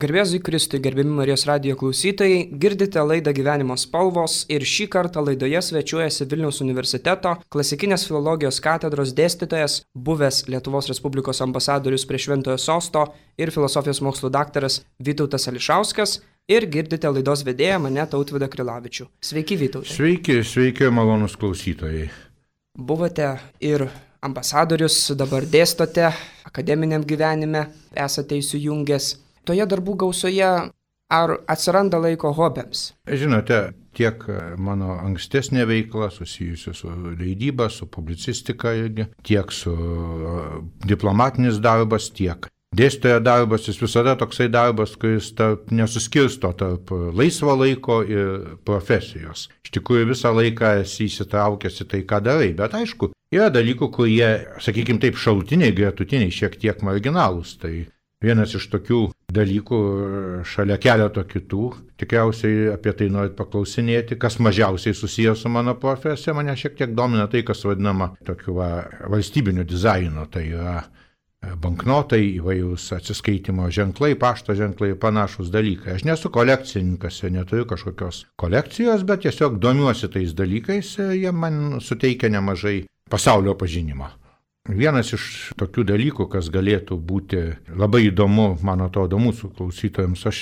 Garbėzui Kristui, gerbiami Marijos radijo klausytojai, girdite laidą Gyvenimo spalvos ir šį kartą laidoje svečiuojasi Vilniaus universiteto klasikinės filologijos katedros dėstytojas, buvęs Lietuvos Respublikos ambasadorius prie Šventojo Sosto ir filosofijos mokslų daktaras Vytautas Ališauskas ir girdite laidos vedėją mane Tautvydą Krilavičių. Sveiki, Vytautai. Sveiki, malonus klausytojai. Buvote ir ambasadorius, dabar dėstote akademiniam gyvenime, esate įsijungęs. Toje darbų gausoje ar atsiranda laiko hobiams? Žinote, tiek mano ankstesnė veikla susijusi su leidyba, su publicistika irgi, tiek su diplomatinis darbas, tiek dėstytojo darbas, jis visada toksai darbas, kuris nesuskirsto tarp laisvo laiko ir profesijos. Iš tikrųjų visą laiką esi įsitraukęs į tai, ką darai, bet aišku, yra dalykų, kurie, sakykime taip, šalutiniai, gretutiniai, šiek tiek marginalūs. Tai vienas iš tokių dalykų šalia keleto kitų, tikriausiai apie tai norit paklausinėti, kas mažiausiai susijęs su mano profesija, mane šiek tiek domina tai, kas vadinama tokiu valstybiniu dizainu, tai yra banknotai, įvairūs atsiskaitimo ženklai, pašto ženklai ir panašus dalykai. Aš nesu kolekcininkas ir neturiu kažkokios kolekcijos, bet tiesiog domiuosi tais dalykais ir jie man suteikia nemažai pasaulio pažinimo. Vienas iš tokių dalykų, kas galėtų būti labai įdomu, man atrodo, mūsų klausytojams, aš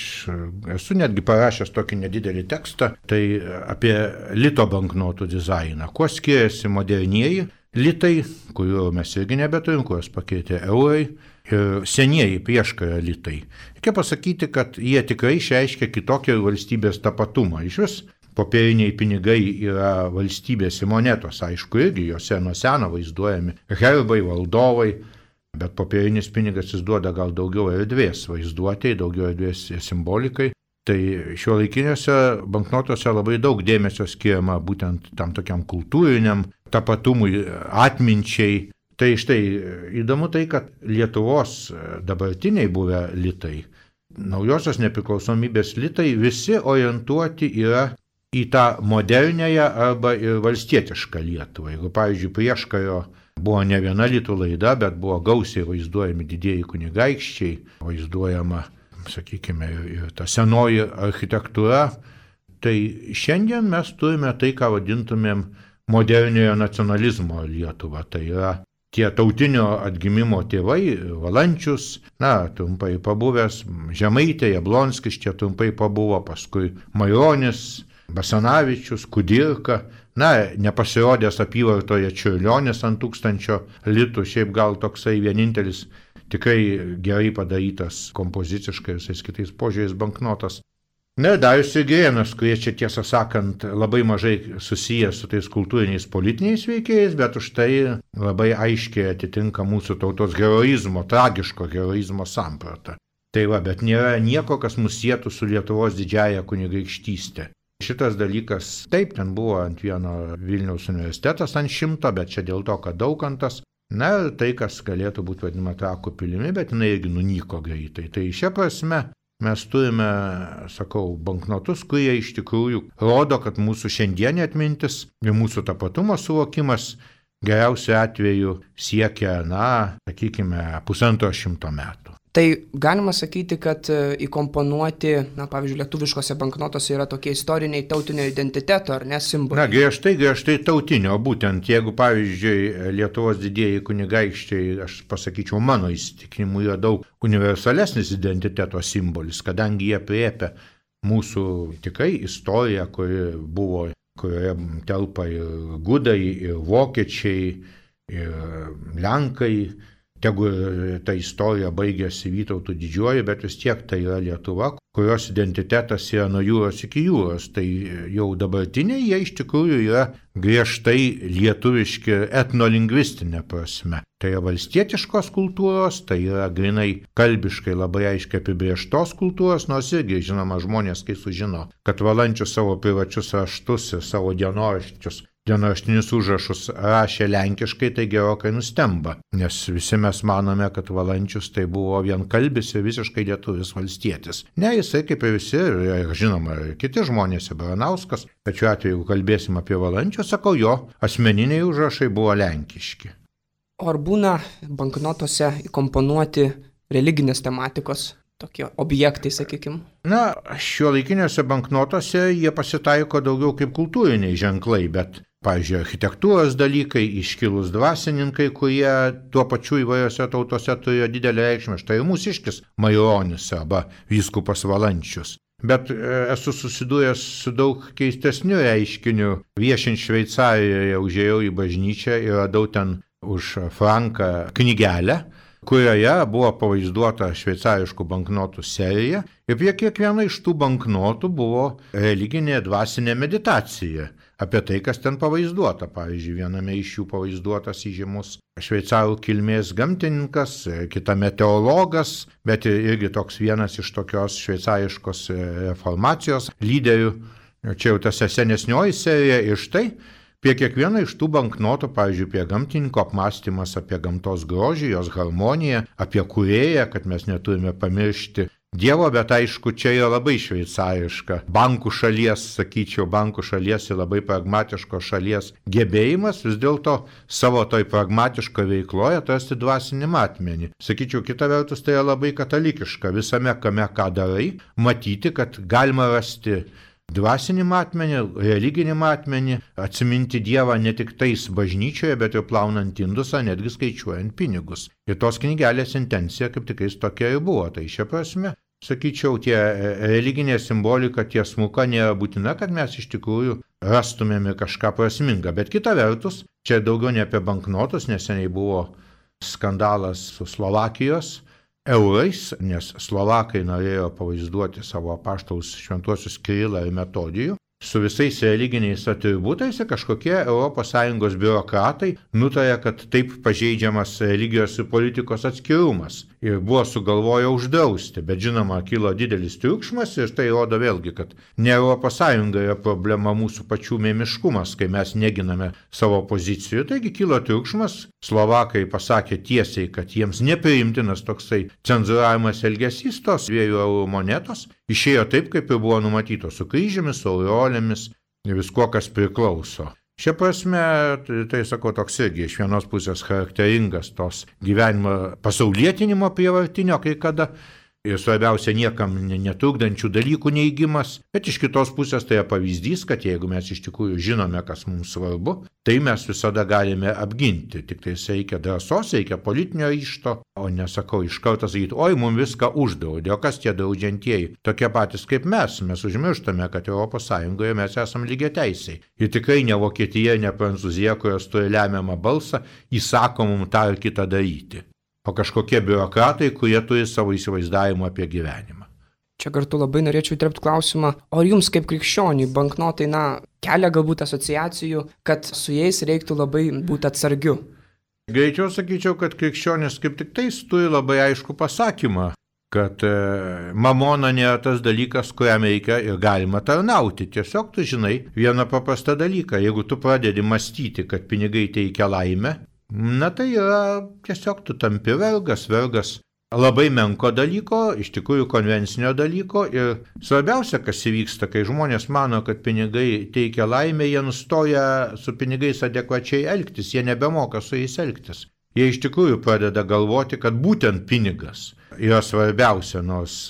esu netgi parašęs tokį nedidelį tekstą, tai apie lito banknotų dizainą. Kuo skiriasi modernieji litai, kuriuo mes irgi nebeturim, kuriuos pakeitė eurai, ir senieji prieškario litai. Reikia pasakyti, kad jie tikrai išreiškia kitokį valstybės tapatumą. Iš vis popieriniai pinigai yra valstybės monetos, aišku, irgi juose nuo seno vaizduojami herbai, valdovai, bet popierinis pinigas jis duoda gal daugiau erdvės vaizduotėjai, daugiau erdvės simbolikai. Tai šiuolaikiniuose banknotuose labai daug dėmesio skiriama būtent tam tokiam kultūriniam tapatumui, atminčiai. Tai štai įdomu tai, kad Lietuvos dabartiniai buvę litai, naujosios nepriklausomybės litai, visi orientuoti yra į tą modernėją arba ir valstietišką Lietuvą. Jeigu, pavyzdžiui, prieškario buvo ne viena litų laida, bet buvo gausiai vaizduojami didieji kunigaikščiai, vaizduojama, sakykime, ir ta senoji architektūra, tai šiandien mes turime tai, ką vadintumėm moderniojo nacionalizmo Lietuvą. Tai yra tie tautinio atgimimo tėvai, Valančius, trumpai pabuvęs, Žemaitė, Jablonskis čia trumpai pabuvo, paskui Maironis, Basanavičius, Kudirka, nepasirodęs apyvartoje Čiurlionis ant 1000 litų, šiaip gal toksai vienintelis tikrai gerai padarytas kompoziciškai ir visais kitais požiūriais banknotas. Darius ir Girėnas, kurie čia tiesą sakant labai mažai susiję su tais kultūriniais politiniais veikėjais, bet už tai labai aiškiai atitinka mūsų tautos heroizmo, tragiško heroizmo sampratą. Tai bet nėra nieko, kas mus sietų su Lietuvos didžiąja kunigaikštystė. Šitas dalykas, taip, ten buvo ant vieno Vilniaus universitetas ant 100, bet čia dėl to, kad Daukantas, ir tai, kas galėtų būti vadinama Trakų pilimi, bet jinai irgi nunyko greitai. Tai šia prasme mes turime, sakau, banknotus, kurie iš tikrųjų rodo, kad mūsų šiandienė atmintis ir mūsų tapatumo suvokimas geriausiu atveju siekia, sakykime, 150 metų. Tai galima sakyti, kad įkomponuoti, pavyzdžiui, lietuviškose banknotose yra tokie istoriniai tautinio identiteto, ar ne, simboliai? Griežtai tautinio, būtent jeigu, pavyzdžiui, Lietuvos didieji kunigaikščiai, aš pasakyčiau, mano įsitikinimu, yra daug universalesnis identiteto simbolis, kadangi jie priepia mūsų tikrai istoriją, kurioje telpa ir gudai, ir vokiečiai, ir lenkai. Tegu ta istorija baigėsi Vytautu Didžiuoju, bet vis tiek tai yra Lietuva, kurios identitetas yra nuo jūros iki jūros. Tai jau dabartiniai jie iš tikrųjų yra griežtai lietuviški etnolingvistinė prasme. Tai yra valstietiškos kultūros, tai yra grinai kalbiškai labai aiškiai apibrėžtos kultūros, nors irgi, žinoma, žmonės, kai sužino, kad Valančius savo privačius raštus ir savo dienoraštinius užrašus rašė lenkiškai, tai gerokai nustemba, nes visi mes manome, kad Valančius tai buvo vienkalbis ir visiškai lietuvis valstietis. Ne, jisai kaip ir visi, ir žinoma, ir kiti žmonės, ir Baranauskas, bet šiuo atveju, jeigu kalbėsim apie Valančius, sakau, jo asmeniniai užrašai buvo lenkiški. O ar būna banknotose įkomponuoti religinės tematikos tokie objektai, sakykime? Na, šiuolaikiniuose banknotuose jie pasitaiko daugiau kaip kultūriniai ženklai, bet, pavyzdžiui, architektūros dalykai, iškilūs dvasininkai, kurie tuo pačiu įvairiose tautose turėjo didelę reikšmę. Štai ir mūsiškis Maironis arba vyskupas Valančius. Bet esu susidūręs su daug keistesniu reiškiniu. Viešint Šveicarijoje užėjau į bažnyčią ir radau ten už franką knygelę, kurioje buvo pavaizduota šveicariškų banknotų serija ir prie kiekvieno iš tų banknotų buvo religinė dvasinė meditacija apie tai, kas ten pavaizduota. Pavyzdžiui, viename iš jų pavaizduotas įžymus šveicarų kilmės gamtininkas, kitame teologas, bet irgi toks vienas iš tokios šveicariškos reformacijos lyderių. Čia jau tas senesnioji serija ir štai prie kiekvieno iš tų banknotų, pavyzdžiui, prie gamtininko apmąstymas apie gamtos grožį, jos harmoniją, apie kūrėją, kad mes neturime pamiršti Dievo, bet aišku, čia yra labai šveicariška. Bankų šalies, sakyčiau, bankų šalies ir labai pragmatiškos šalies gebėjimas vis dėlto savo toj pragmatiško veikloje atrasti dvasinį matmenį. Sakyčiau, kita vertus, tai yra labai katalikiška visame kame, ką darai, matyti, kad galima rasti dvasinį matmenį, religinį matmenį, atsiminti Dievą ne tik tais bažnyčioje, bet ir plaunant indusą, netgi skaičiuojant pinigus. Ir tos knygelės intencija kaip tikrais tokia ir buvo. Tai šia prasme, sakyčiau, tie religinė simbolika tiesmuka nėra būtina, kad mes iš tikrųjų rastumėme kažką prasmingą. Bet kita vertus, čia daugiau ne apie banknotus, neseniai buvo skandalas su Slovakijos eurais, nes slovakai norėjo pavaizduoti savo apaštalus šventuosius Kirilą ir Metodijų su visais religiniais atributais ir kažkokie ES biurokratai nutarė, kad taip pažeidžiamas religijos ir politikos atskirumas ir buvo sugalvoję uždrausti, bet žinoma, kilo didelis triukšmas ir tai rodo vėlgi, kad ne ES yra problema mūsų pačių mėmiškumas, kai mes neginame savo pozicijų. Taigi kilo triukšmas, slovakai pasakė tiesiai, kad jiems nepriimtinas toksai cenzūravimas elgesys, tos 2 eurų monetos išėjo taip, kaip ir buvo numatyto, su kryžiamis, su aureolėmis ir viskuo, kas priklauso. Šia prasme, tai sakau, toks irgi iš vienos pusės charakteringas tos gyvenimo pasaulietinimo prievartinio kai kada ir svarbiausia niekam netrukdančių dalykų neigimas, bet iš kitos pusės tai yra pavyzdys, kad jeigu mes iš tikrųjų žinome, kas mums svarbu, tai mes visada galime apginti. Tik tai reikia drąsos, reikia politinio ryžto, o nesakau iš karto sakyti, oi, mums viską uždraudė, o kas tie draudžiantieji? Tokie patys kaip mes užmirštame, kad ES mes esame lygiateisiai. Ir tikrai ne Vokietija, ne Prancūzija, kurios turi lemiamą balsą, įsako mums tą ir kitą daryti. O kažkokie biurokratai, kurie turi savo įsivaizdavimą apie gyvenimą. Čia kartu labai norėčiau įterpti klausimą, o jums kaip krikščioniui banknotai, kelia galbūt asociacijų, kad su jais reiktų labai būti atsargiu? Greičiau sakyčiau, kad krikščionis kaip tik tais turi labai aišku pasakymą, kad mamona nėra tas dalykas, kuriam reikia ir galima tarnauti. Tiesiog tu žinai vieną paprastą dalyką. Jeigu tu pradedi mąstyti, kad pinigai teikia laimę, tai yra tiesiog tu tampi vergas labai menko dalyko, iš tikrųjų konvencinio dalyko ir svarbiausia, kas įvyksta, kai žmonės mano, kad pinigai teikia laimę, jie nustoja su pinigais adekvačiai elgtis, jie nebemoka su jais elgtis. Jie iš tikrųjų pradeda galvoti, kad būtent pinigas yra svarbiausia, nors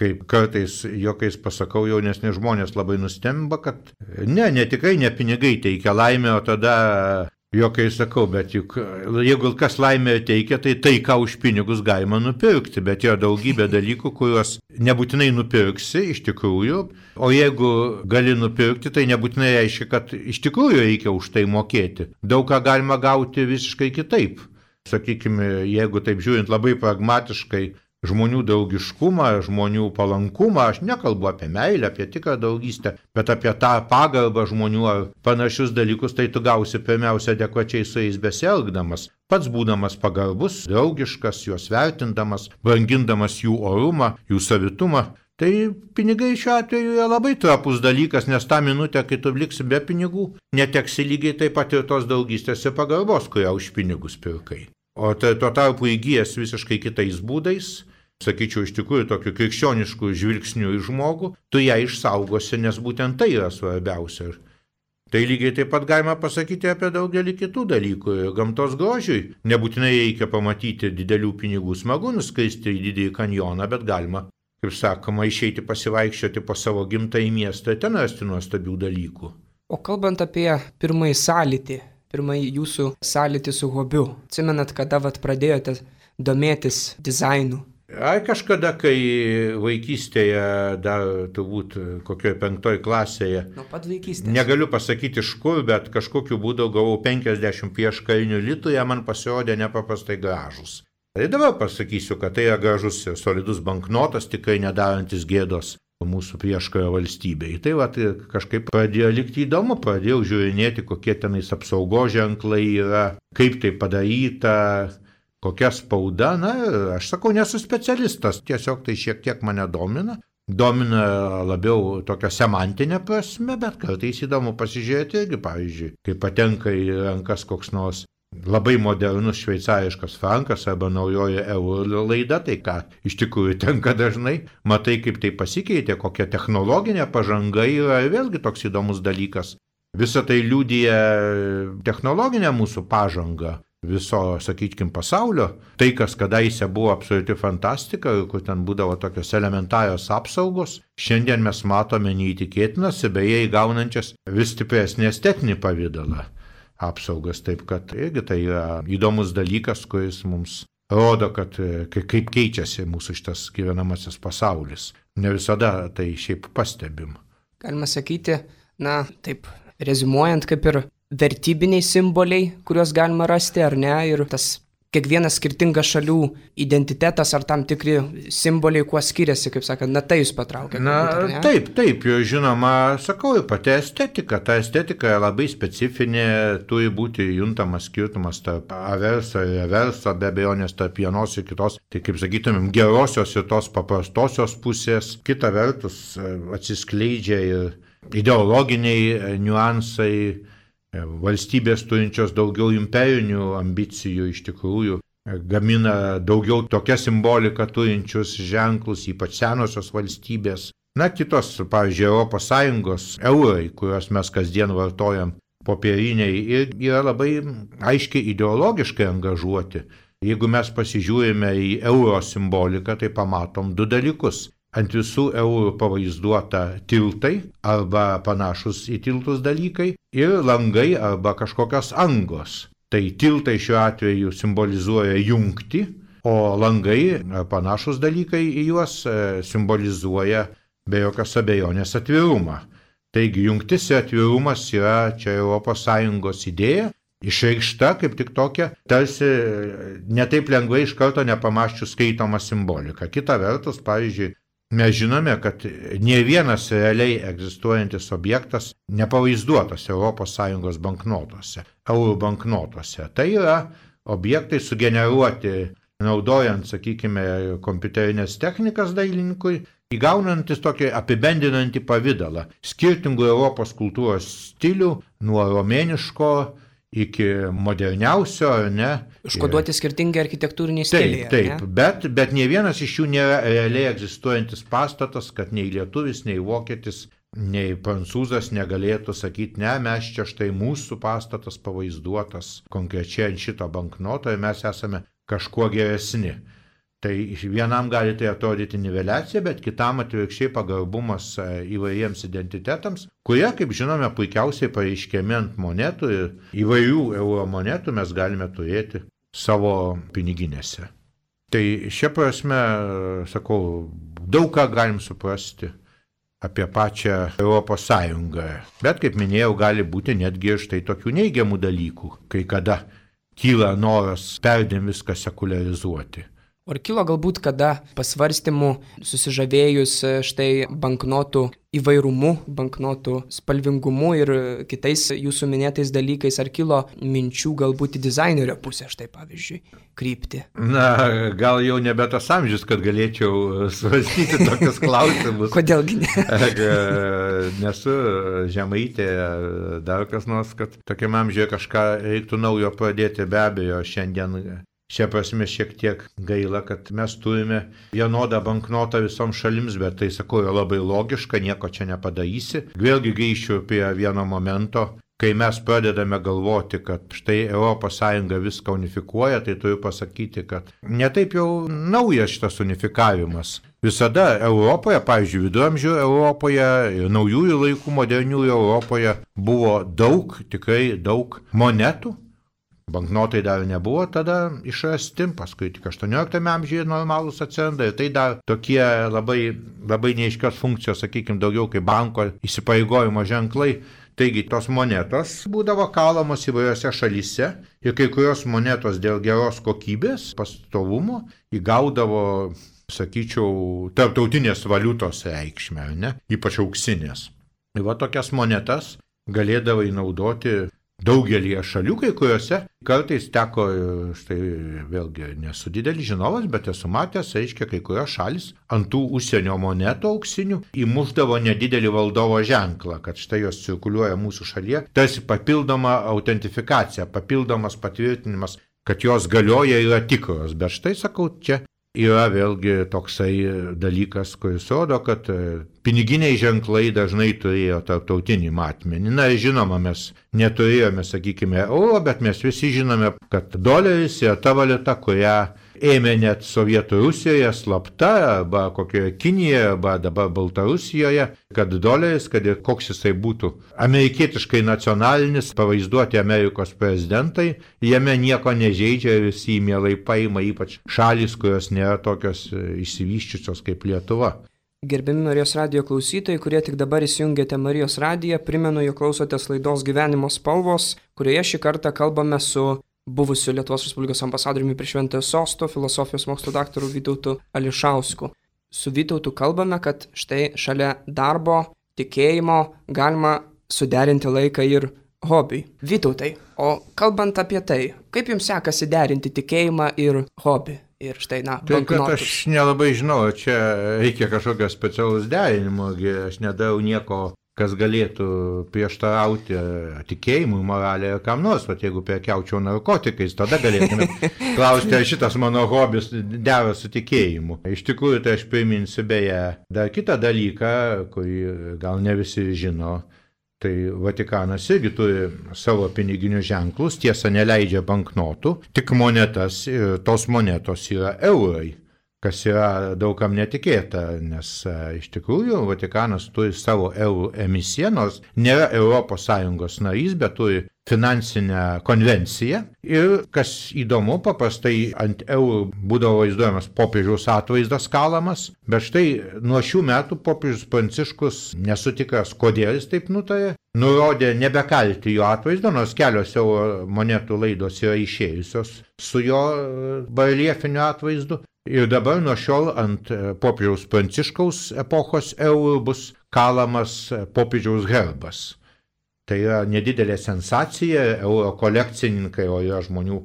kaip kartais jokiais pasakau, jaunesni žmonės labai nustemba, kad tikrai ne pinigai teikia laimę, o tada jokai sakau, bet juk jeigu kas laimę teikia, tai ką už pinigus galima nupirkti, bet yra daugybė dalykų, kuriuos nebūtinai nupirksi iš tikrųjų, o jeigu gali nupirkti, tai nebūtinai reiškia, kad iš tikrųjų reikia už tai mokėti. Daug ką galima gauti visiškai kitaip. Sakykime, jeigu taip žiūrint labai pragmatiškai, žmonių draugiškumą, žmonių palankumą, aš nekalbu apie meilę, apie tikrą draugystę, bet apie tą pagarbą žmonių ar panašius dalykus, tai tu gausi pirmiausia adekvačiai su jais besielgdamas, pats būdamas pagarbus, draugiškas, juos vertindamas, brangindamas jų orumą, jų savitumą. Tai pinigai šiuo atveju yra labai trapus dalykas, nes tą minutę, kai tu liksi be pinigų, neteksi lygiai taip pat ir tos draugystės ir pagarbos, kurią už pinigus pirkai. O tai tuo tarpu įgyjęs visiškai kitais būdais, sakyčiau, iš tikrųjų tokiu krikščionišku žvilgsniu į žmogų, tu ją išsaugosi, nes būtent tai yra svarbiausia. Tai lygiai taip pat galima pasakyti apie daugelį kitų dalykų. Gamtos grožiui nebūtinai reikia pamatyti didelių pinigų, smagu nuskristi į didįjį kanjoną, bet galima, kaip sakoma, išeiti pasivaikščioti po savo gimtąjį miestą ir ten rasti nuostabių dalykų. O kalbant apie pirmąjį sąlytį, pirmąjį jūsų sąlytį su hobiu, atsimenat, kada pradėjote domėtis dizainu? Ai kažkada, kai vaikystėje, dar turbūt kokioje 5 klasėje, Nuo pat vaikystės. Negaliu pasakyti iš kur, bet kažkokiu būdu gavau 50 prieškarinių litų, jie man pasirodė nepaprastai gražus. Tai dabar pasakysiu, kad tai yra gražus ir solidus banknotas, tikrai nedarantis gėdos mūsų prieškario valstybei. Tai kažkaip pradėjo likti įdomu, pradėjau žiūrinėti, kokie tenais apsaugos ženklai yra, kaip tai padaryta, kokia spauda. Na, aš sakau, nesu specialistas, tiesiog tai šiek tiek mane domina. Domina labiau tokia semantinė prasme, bet kartais įdomu pasižiūrėti irgi, pavyzdžiui, kai patenka į rankas koks nors labai modernus šveicariškas frankas arba naujoji euro laida, tai ką iš tikrųjų tenka dažnai, matai, kaip tai pasikeitė, kokia technologinė pažanga yra, vėlgi toks įdomus dalykas. Visa tai liudija technologinę mūsų pažangą viso, sakykime, pasaulio. Tai, kas kadaise buvo absoliuti fantastika, kur ten būdavo tokios elementarios apsaugos, šiandien mes matome neįtikėtinas, beje įgaunančias vis stipresnį estetinį pavidalą apsaugas. Taip, kad irgi tai yra įdomus dalykas, kuris mums rodo, kad kaip keičiasi mūsų šitas gyvenamasis pasaulis. Ne visada tai šiaip pastebim. Galima sakyti, taip, rezimuojant, kaip ir vertybiniai simboliai, kuriuos galima rasti, ar ne, ir tas kiekvienas skirtingas šalių identitetas ar tam tikri simboliai, kuo skiriasi, kaip sakant, tai jūs patraukia. Taip, žinoma, sakau, ir pati estetika. Ta estetika yra labai specifinė, turi būti juntamas skirtumas tarp averso ir reverso, be abejonės tarp vienos ir kitos, tai kaip sakytumėm, gerosios ir tos paprastosios pusės. Kita vertus atsiskleidžia ir ideologiniai niuansai, valstybės turinčios daugiau imperinių ambicijų iš tikrųjų gamina daugiau tokią simboliką turinčius ženklus, ypač senosios valstybės. Kitos, pavyzdžiui, Europos Sąjungos eurai, kuriuos mes kasdien vartojam, popieriniai, ir yra labai aiškiai ideologiškai angažuoti. Jeigu mes pasižiūrime į euro simboliką, tai pamatom 2 dalykus. Ant visų eurų pavaizduota tiltai arba panašus į tiltus dalykai ir langai arba kažkokios angos. Tai tiltai šiuo atveju simbolizuoja jungtį, o langai ar panašus dalykai į juos simbolizuoja be jokios abejonės atvirumą. Taigi jungtis ir atvirumas yra čia ES idėja, išreikšta kaip tik tokia, tarsi netaip lengvai iš karto nepamąsčius skaitoma simbolika. Kita vertus, pavyzdžiui, mes žinome, kad ne vienas realiai egzistuojantis objektas nepavaizduotas ES banknotuose, eurų banknotuose. Tai yra objektai sugeneruoti, naudojant, sakykime, kompiuterinės technikas dailininkui, įgaunantis tokį apibendrinantį pavidalą skirtingų Europos kultūros stilių, nuo romėniško iki moderniausio, ar ne? Užkoduoti skirtingi architektūriniai stiliai. Taip, bet ne vienas iš jų nėra realiai egzistuojantis pastatas, kad nei lietuvis, nei vokietis, nei prancūzas negalėtų sakyti, ne, mes čia štai mūsų pastatas pavaizduotas konkrečiai ant šito banknoto ir mes esame kažkuo geresni. Tai vienam gali tai atrodyti niveliacija, bet kitam atvirkščiai pagarbumas įvairiems identitetams, kurie, kaip žinome, puikiausiai pareiškiami ant monetų ir įvairių euro monetų mes galime turėti savo piniginėse. Tai šia prasme, sakau, daug ką galim suprasti apie pačią Europos Sąjungą. Bet, kaip minėjau, gali būti netgi ir štai tokių neigiamų dalykų, kai kada kyla noras perdėm viską sekularizuoti. Ar kilo galbūt kada pasvarstymų susižavėjus štai banknotų įvairumu, banknotų spalvingumu ir kitais jūsų minėtais dalykais, ar kilo minčių galbūt į dizainerio pusę, štai pavyzdžiui, krypti? Gal jau nebe tas amžius, kad galėčiau svarstyti tokius klausimus. Kodėlgi ne? Nesu žemaitė, dar kas nors, kad tokiam amžiuje kažką reiktų naujo pradėti, be abejo, Šia prasme šiek tiek gaila, kad mes turime vienodą banknotą visoms šalims, bet tai, sakau, yra labai logiška, nieko čia nepadarysi. Vėlgi grįšiu prie vieno momento, kai mes pradedame galvoti, kad štai ES viską unifikuoja, tai turiu pasakyti, kad netaip jau naujas šitas unifikavimas. Visada Europoje, pavyzdžiui, viduramžių Europoje ir naujųjų laikų moderniųjų Europoje buvo daug, tikrai daug monetų. Banknotai dar nebuvo tada išrasti, paskui tik 18 amžiuje normalūs atsiranda ir tai dar tokie labai neaiškios funkcijos, sakykime, daugiau kaip banko įsipareigojimo ženklai. Taigi tos monetos būdavo kalamos įvairiose šalyse ir kai kurios monetos dėl geros kokybės, pastovumo įgaudavo, sakyčiau, tarptautinės valiutos reikšmę, ne? Ypač auksinės. Ir va tokias monetas galėdavo įnaudoti daugelį šalių, kai kuriuose kartais teko, štai vėlgi nesu didelis žinovas, bet esu matęs, reiškia, kai kurios šalis ant tų užsienio monetų auksinių įmušdavo nedidelį valdovo ženklą, kad štai jos cirkuliuoja mūsų šalyje, tarsi papildoma autentifikacija, papildomas patvirtinimas, kad jos galioja ir yra tikros. Bet štai, sakau, čia yra vėlgi toksai dalykas, kuris rodo, kad piniginiai ženklai dažnai turėjo tarptautinį matmenį. Na, žinoma, mes neturėjome, sakykime, euro, bet mes visi žinome, kad doleris yra ta valiuta, kurią ėmė net Sovietų Rusijoje slapta, arba kokioje Kinijoje, arba dabar Baltarusijoje, kad doleris, kad ir koks jisai būtų amerikietiškai nacionalinis, pavaizduoti Amerikos prezidentai, jame nieko nežeidžia ir visi mielai paima, ypač šalis, kurios nėra tokios išsivysčiusios kaip Lietuva. Gerbiami Marijos radijo klausytojai, kurie tik dabar įsijungėte Marijos radiją, primenu, jog klausotės laidos Gyvenimo spalvos, kurioje šį kartą kalbame su buvusiu Lietuvos Respublikos ambasadoriumi prie Šventojo Sosto, filosofijos mokslo daktaru Vytautu Ališausku. Su Vytautu kalbame, kad štai šalia darbo, tikėjimo galima suderinti laiką ir hobiui. Vytautai, o kalbant apie tai, kaip jums sekasi derinti tikėjimą ir hobį? Ir štai, banknotus. Aš nelabai žinau, čia reikia kažkokio specialaus derinimo, aš nedarau nieko, kas galėtų prieštarauti tikėjimui, moralė ir kam nors, bet jeigu prekiaučiau narkotikais, tada galėtume klausti, ar šitas mano hobis dera su tikėjimu. Iš tikrųjų, tai aš priminsiu beje dar kitą dalyką, kurį gal ne visi žino. Tai Vatikanas irgi turi savo piniginius ženklus, tiesa neleidžia banknotų, tik monetas ir tos monetos yra eurai, kas yra daugam netikėta, nes iš tikrųjų Vatikanas turi savo eurų emisiją, nors nėra ES narys, bet turi finansinę konvenciją. Ir kas įdomu, paprastai ant eurų būdavo vaizduojamas popiežiaus atvaizdas kalamas, bet štai nuo šių metų popiežius Pranciškus, nesu tikras, kodėl jis taip nutarė, nurodė nebekalti jo atvaizdo, nors kelios euro monetų laidos yra išėjusios su jo bareljefiniu atvaizdu. Ir dabar nuo šiol ant popiežiaus Pranciškaus epochos eurų bus kalamas popiežiaus herbas. Tai yra nedidelė sensacija, euro kolekcininkai, o yra žmonių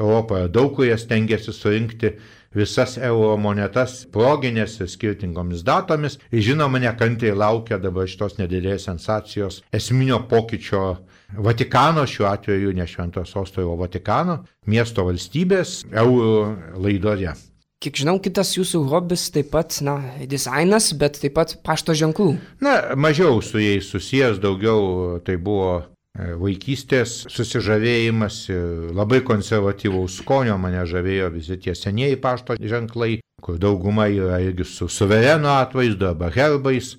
Europoje daug, kurie stengiasi surinkti visas euro monetas proginės ir skirtingomis datomis. Ir žinoma, nekantriai laukia dabar šitos nedidelės sensacijos esminio pokyčio Vatikano, šiuo atveju ne Šventojo Sosto, o Vatikano, miesto valstybės eurų laidoje. Kiek žinau, kitas jūsų hobis taip pat, dizainas, bet taip pat pašto ženklų. Mažiau su jais susijęs, daugiau tai buvo vaikystės susižavėjimas, labai konservatyvaus skonio, mane žavėjo visi tie senieji pašto ženklai, kur dauguma yra irgi su suvereno atvaizdu arba herbais.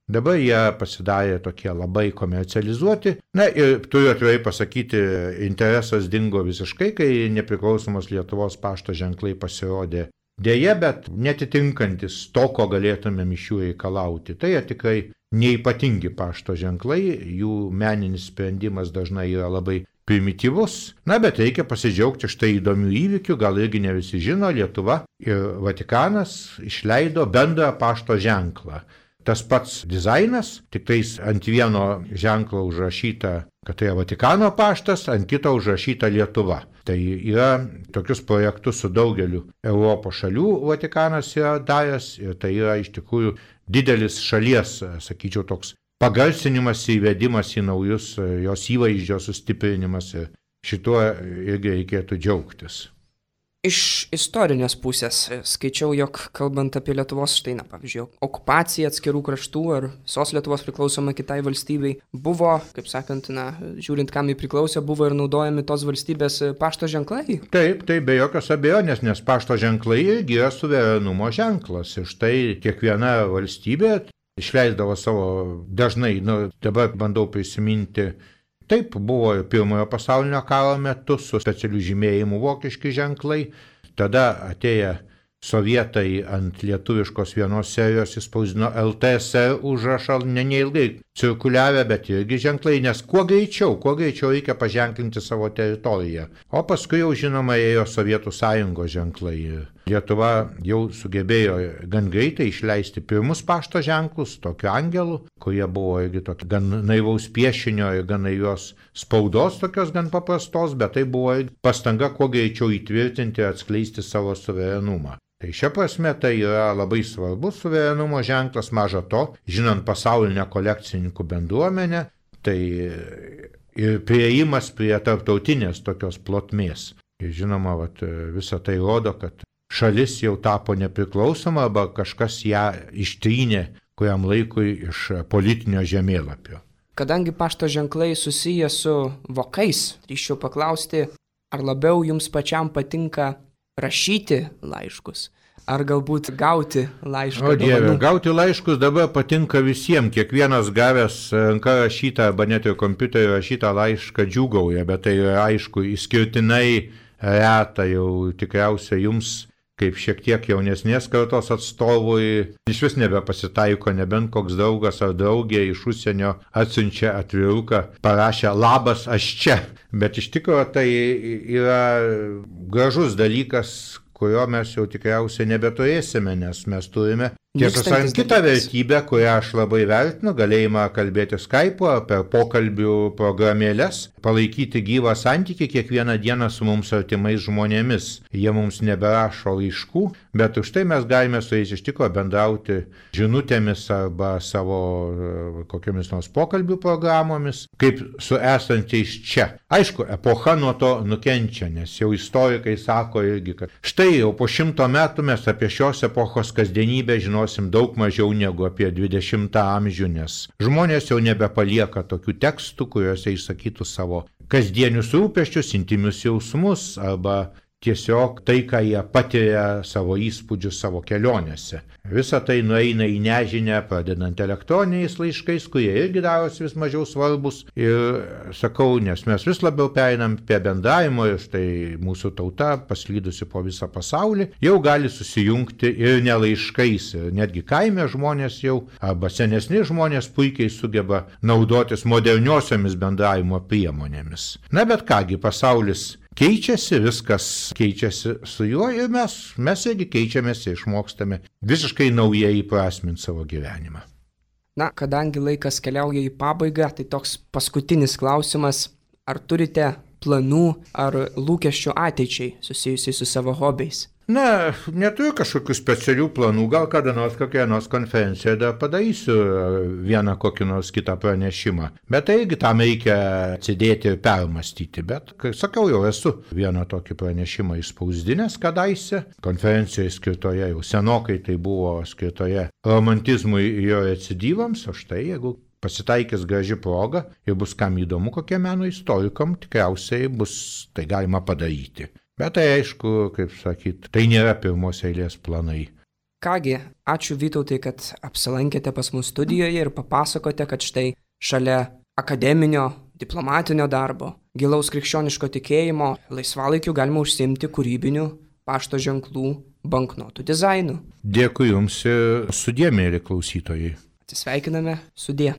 Dabar jie pasidarė tokie labai komercializuoti. Ir turiu atvirai pasakyti, interesas dingo visiškai, kai nepriklausomos Lietuvos pašto ženklai pasirodė. Deja, bet netitinkantis to, ko galėtumėm iš jų reikalauti. Tai tikrai neypatingi pašto ženklai, jų meninis sprendimas dažnai yra labai primityvus. Bet reikia pasidžiaugti štai įdomių įvykių, gal irgi ne visi žino, Lietuva ir Vatikanas išleido bendrą pašto ženklą. Tas pats dizainas, tik tais ant vieno ženklo užrašyta, kad tai yra Vatikano paštas, ant kito užrašyta Lietuva. Tai yra tokius projektus su daugeliu Europos šalių Vatikanas yra daręs ir tai yra iš tikrųjų didelis šalies, sakyčiau, toks pagarsinimas, įvedimas į naujus jos įvaizdžio sustiprinimas ir šituo irgi reikėtų džiaugtis. Iš istorinės pusės skaičiau, jog kalbant apie Lietuvos, pavyzdžiui, okupaciją atskirų kraštų ar visos Lietuvos priklausoma kitai valstybei, buvo, kaip sakant, žiūrint kam jį priklausė, buvo ir naudojami tos valstybės pašto ženklai. Taip, tai be jokios abejonės, nes pašto ženklai irgi yra suverenumo ženklas. Ir štai kiekviena valstybė išleisdavo savo dažnai, dabar bandau prisiminti. Taip buvo ir Pirmojo pasaulinio karo metu su specialiu žymėjimu vokiški ženklai. Tada atėję sovietai ant lietuviškos vienos serijos įspausdino LTSR užrašą, neilgai cirkuliavę, bet irgi ženklai, nes kuo greičiau reikia paženklinti savo teritoriją. O paskui jau žinoma ėjo Sovietų sąjungos ženklai. Lietuva jau sugebėjo gan greitai išleisti pirmus pašto ženklus, tokiu angelu, kurie buvo irgi tokie gan naivaus piešinio ir gan naivios spaudos, tokios gan paprastos, bet tai buvo pastanga kuo greičiau įtvirtinti ir atskleisti savo suverenumą. Tai šia prasme tai yra labai svarbus suverenumo ženklas, maža to, žinant pasaulinę kolekcininkų bendruomenę, tai ir priėjimas prie tarptautinės tokios plotmės. Ir žinoma, visa tai rodo, kad šalis jau tapo nepriklausoma arba kažkas ją ištrynė kuriam laikui iš politinio žemėlapio. Kadangi pašto ženklai susiję su vokais, drįsčiau paklausti, ar labiau jums pačiam patinka rašyti laiškus, ar galbūt gauti laišką? O Dieve, gauti laiškus dabar patinka visiems. Kiekvienas gavęs ranka rašytą arba net ir kompiuteriu rašytą laišką džiūgauja, bet tai aišku išskirtinai reta jau tikriausiai jums, kaip šiek tiek jaunesnės kartos atstovui, iš vis nebepasitaiko, nebent koks draugas ar draugė iš užsienio atsiunčia atviruką, parašė labas, aš čia. Bet iš tikrųjų tai yra gražus dalykas, kurio mes jau tikriausiai nebeturėsime, nes mes turime, tiesą sakant, kitą vertybę, kurią aš labai vertinu, galėjimą kalbėti Skype'u ar per pokalbių programėlės, palaikyti gyvą santykį kiekvieną dieną su mums artimais žmonėmis. Jie mums neberašo laiškų, bet už tai mes galime su jais iš tikrųjų bendrauti žinutėmis arba savo kokiamis nors pokalbių programomis, kaip su esančiais čia. Aišku, epocha nuo to nukenčia, nes jau istorikai sako irgi, kad štai jau po 100 metų mes apie šios epochos kasdienybę žinosim daug mažiau negu apie 20 amžių, nes žmonės jau nebepalieka tokių tekstų, kuriuose išsakytų savo kasdienius rūpesčius, intimius jausmus arba tiesiog tai, ką jie patiria savo įspūdžius savo kelionėse. Visa tai nueina į nežinę, pradedant elektroniniais laiškais, kurie irgi darosi vis mažiau svarbus. Ir sakau, nes mes vis labiau pereinam prie bendravimo ir štai mūsų tauta, paslydusi po visą pasaulį, jau gali susijungti ir ne laiškais. Ir netgi kaime žmonės jau, arba senesni žmonės puikiai sugeba naudotis moderniosiomis bendravimo priemonėmis. Na bet kągi, pasaulis keičiasi, viskas keičiasi su juo ir mes irgi keičiamės ir išmokstame visiškai naujai įprasminti savo gyvenimą. Na, kadangi laikas keliauja į pabaigą, tai toks paskutinis klausimas, ar turite planų ar lūkesčių ateičiai susijusiai su savo hobiais? Na, neturiu kažkokių specialių planų, gal kada nors kokioje nors konferencijoje dar padarysiu vieną kokį nors kitą pranešimą. Bet taigi tam reikia atsidėti ir permastyti. Bet, kaip sakau, jau esu vieną tokį pranešimą išspausdinęs kadaise. Konferencijoje skirtoje jau senokai tai buvo skirtoje romantizmui ir jo recidyvams, o štai jeigu pasitaikys graži proga ir bus kam įdomu, kokie meno istorikam, tikriausiai bus tai galima padaryti. Bet tai aišku, kaip sakyt, tai nėra pirmos eilės planai. Kągi, ačiū Vytautai, kad apsilankėte pas mus studijoje ir papasakote, kad štai šalia akademinio, diplomatinio darbo, gilaus krikščioniško tikėjimo, laisvalaikiu galima užsiimti kūrybiniu pašto ženklų banknotų dizainu. Dėkui Jums ir sudie, mėly klausytojai. Atsisveikiname, sudie.